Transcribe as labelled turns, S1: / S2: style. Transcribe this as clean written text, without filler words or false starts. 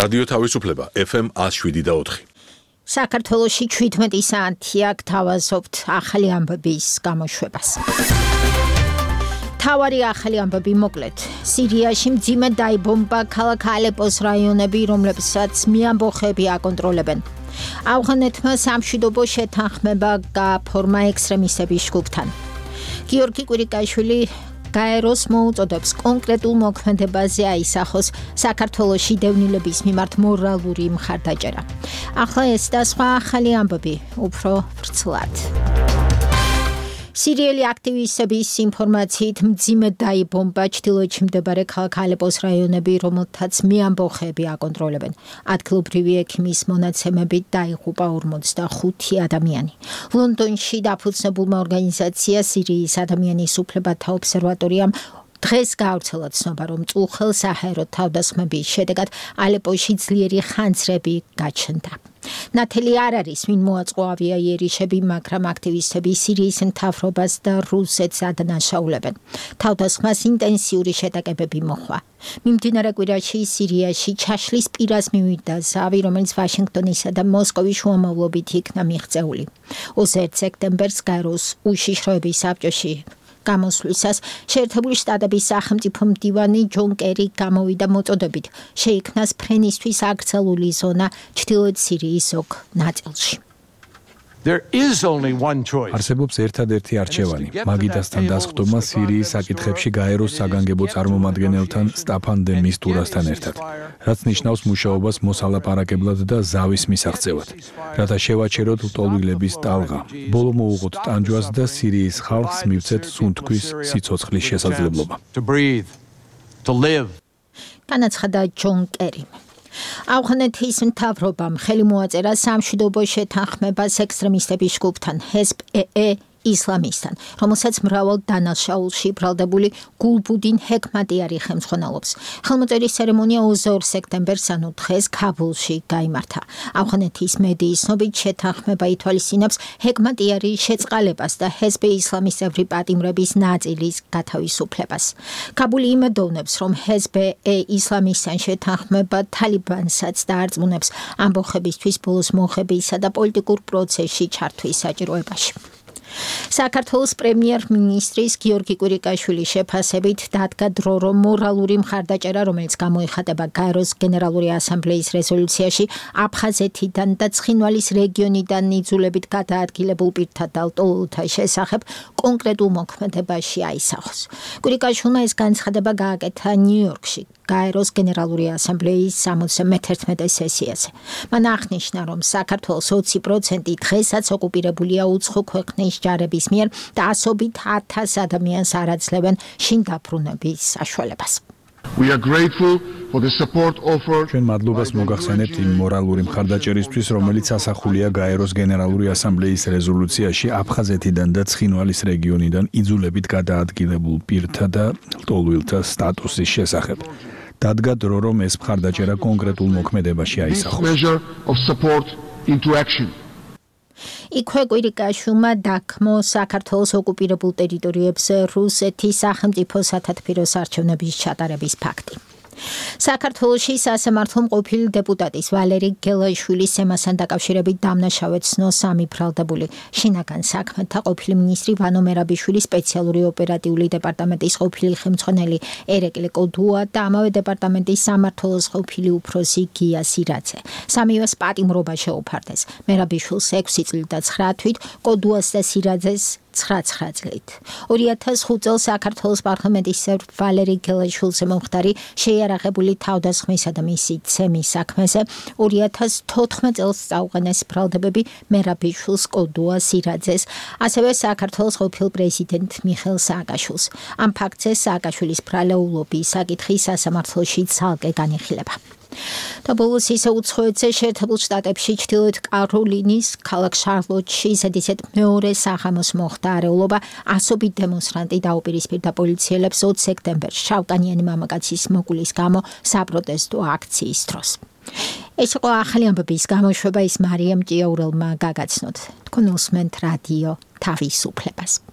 S1: რადიო თავისუფლება FM 107.4.
S2: საქართველოში 17 საათია გთავაზობთ ახალი ამბების გამოშვებას. თავარი ახალი ამბები მოკლედ. სირიაში მძიმე დაიბომბა ქალაქ ალეპოს რაიონები, რომლებსაც მეამბოხები აკონტროლებენ. ავღანეთმა სამშვიდობო შეთანხმება გააფორმა ექსტრემისტების ჯგუფთან. გიორგი კვირიკაშვილი გაეროს მოუწოდებს კონკრეტულ მოქმედებაზე აისახოს საქართველოში დევნილების მიმართ მორალური მხარდაჭერა. ახლა ეს და სხვა ახალი ამბები უფრო ვრცლად. სირიელი აქტივისტების ინფორმაციით მძიმე დაიბომბა ჩრდილოეთში მდებარე ქალაქ ალეპოს რაიონები, რომელთაც მეამბოხები აკონტროლებენ. ადგილობრივი ექიმის მონაცემებით დაიღუპა 45 ადამიანი. ლონდონში დაფუძნებულმა ორგანიზაცია სირიის ადამიანის უფლებათა ობსერვატორიამ დღეს გაავრცელა ცნობა, რომ წუხელ საჰაერო თავდასხმების შედეგად ალეპოში ძლიერი ხანძრები გაჩნდა. ნათელი არ არის, ვინ მოაწყო ავიაიერიშები, მაგრამ აქტივისტები სირიის მთავრობას და რუსეთს ადანაშაულებენ. თავდასხმას ინტენსიური შეტაკებები მოჰყვა. მიმდინარე კვირაში სირიაში ჩაშლის პირას მივიდა ზავი, რომელიც ვაშინგტონისა და მოსკოვის შუამავლობით იქნა მიღწეული. 21 სექტემბერს გაეროს უშიშროების საბჭოში გამოსვლისას შეერთებული შტატების სახელმწიფო მდივანი ჯონ კერი გამოვიდა მოწოდებით შეიქმნას ფრენისთვის აკრძალული ზონა ჩრდილოეთ სირიის ზოგ ნაწილში.
S3: არსებობს ერთადერთი არჩევანი. მაგიდასთან დასხდომა სირიის საკითხებში გაეროს საგანგებო წარმომადგენელთან სტაფან დე მისტურასთან ერთად, რაც ნიშნავს მუშაობას მოსალაპარაკებლად და ზავის მისაღწევად, რათა შევაჩეროთ ლტოლვილების ტალღა, ბოლო მოუღოთ ტანჯვას და სირიის ხალხს მივცეთ სუნთქვის სიცოცხლის შესაძლებლობა.
S2: განაცხადა ჯონ კერი. ავღანეთის მთავრობამ ხელი მოაწერა სამშვიდობო შეთანხმებას ექსტრემისტების ჯგუფთან ჰეზბ-ე ისლამისტთან, რომელსაც მრავალ დანაშაულში ბრალდებული გულბუდინ ჰეკმატიარი ხელმძღვანელობს. ხელმოწერის ცერემონია 22 სექტემბერს, ანუ დღეს ქაბულში გაიმართა. ავღანეთის მედიის ცნობით შეთანხმება ითვალისწინებს ჰეკმატიარის შეწყალებას და ჰეზბ ისლამისტებრი პატიმრების ნაწილის გათავისუფლებას. ქაბული იმედოვნებს, რომ ჰეზბ-ე ისლამისტთან შეთანხმება თალიბანსაც დაარწმუნებს ამბოხებისთვის ბოლოს მოხებისა და პოლიტიკურ პროცესში ჩართვის საჭიროებაში. საქართველოს პრემიერ-მინისტრის გიორგი კვირიკაშვილის შეფასებით დადგა დრო, რომ მორალური მხარდაჭერა, რომელიც გამოიხატება გაეროს გენერალური ასამბლეის რეზოლუციაში აფხაზეთიდან და ცხინვალის რეგიონიდან იძულებით გადაადგილებულ პირთა და ლტოლვილთა შესახებ კონკრეტულ მოქმედებაში აისახოს. კვირიკაშვილმა ეს განცხადება გააკეთა ნიუ-იორკში გაეროს გენერალური ასამბლეის 71 სესიაზე. მან აღნიშნა, რომ საქართველოს 20% დღესაც ოკუპირებულია უცხო ქვეყნის ჯარების მიერ და ასობით 1000 ადამიანს არ აძლევენ შინ დაბრუნების საშუალებას.
S3: ჩვენ მადლობას მოგახსენებთ იმ მორალური მხარდაჭერისთვის, რომელიც ასახულია გაეროს გენერალური ასამბლეის რეზოლუციაში აფხაზეთიდან და ცხინვალის რეგიონიდან იძულებით გადაადგილებულ პირთა და ლტოლვილთა სტატუსის შესახებ. დადგა დრო, რომ ეს მხარდაჭერა კონკრეტულ მოქმედებაში აისახოს.
S2: იქვე კვირიკაშვილმა დაგმო საქართველოს ოკუპირებულ ტერიტორიებზე რუსეთის სახელმწიფო სათათბიროს არჩევნების ჩატარების ფაქტი. საქართველოში სასამართლო მყოფილი დეპუტატის ვალერი გელაშვილის ემასთან დაკავშირებით დამნაშავედ ცნო სამი ბრალდებული. შინაგან საქმეთა ყოფილი მინისტრი ვანო მერაბიშვილის სპეციალური ოპერატიული დეპარტამენტის ყოფილი ხელმძღვანელი ერეკლე კოდუა და ამავე დეპარტამენტის სამმართველოს ყოფილი უფროსი გია სირაძე. სამივეს პატიმრობა შეუფარდეს. მერაბიშვილს 6 წლით და 9 თვით, კოდუას და სირაძეს 9 წლით. 2005 წელს საქართველოს პარლამენტის წევრი ვალერი გელაშვილზე მომხდარი შეიარაღებული თავდასხმისა და მისი ცემის საქმეზე 2014 წელს წაუყენეს ბრალდებები მერაბიშვილს, კოდუას, სირაძეს, ასევე საქართველოს ყოფილ პრეზიდენტ მიხეილ სააკაშვილს. ამ ფაქტზე სააკაშვილის ბრალეულობის საკითხი სასამართლოში ცალკე განიხილება. და ბოლოს ისე უცხოეთზე შეერთებულ შტატებში ჩრდილოეთ კაროლინის ქალაქ შარლოტში ზედიზედ მეორე საღამოს მოხდა არეულობა. ასობით დემონსტრანტი დაუპირისპირდა პოლიციელებს 20 სექტემბერს შავკანიანი მამაკაცის მოკვლის გამო საპროტესტო აქციის დროს. ეს იყო ახალი ამბების გამოშვება, ის მარიამ ჭიაურელმა გაგაცნოთ. თქვენ უსმენთ რადიო თავისუფლებას.